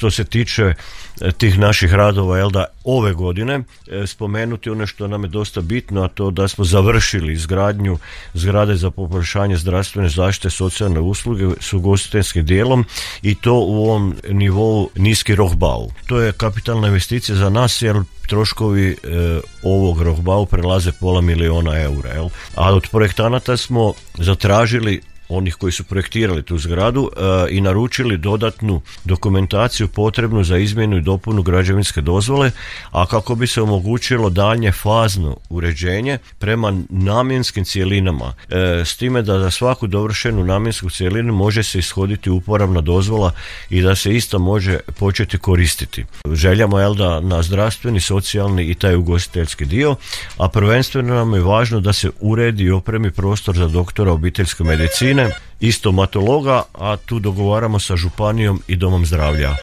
što se tiče tih naših radova, jel da, ove godine spomenuti ono što nam je dosta bitno, a to da smo završili izgradnju zgrade za poboljšanje zdravstvene zaštite, socijalne usluge s ugostiteljskim dijelom, i to u ovom nivou Niski Rohbau. To je kapitalna investicija za nas jer troškovi ovog Rohbau prelaze $500,000 eura. Jel? A od projektanata smo zatražili, onih koji su projektirali tu zgradu, i naručili dodatnu dokumentaciju potrebnu za izmjenu i dopunu građevinske dozvole, a kako bi se omogućilo daljnje fazno uređenje prema namjenskim cjelinama, s time da za svaku dovršenu namjensku cjelinu može se ishoditi uporabna dozvola i da se ista može početi koristiti. Željamo, jel da, na zdravstveni, socijalni i taj ugostiteljski dio, a prvenstveno nam je važno da se uredi i opremi prostor za doktora obiteljske medicine i stomatologa, a tu dogovaramo sa županijom i domom zdravlja.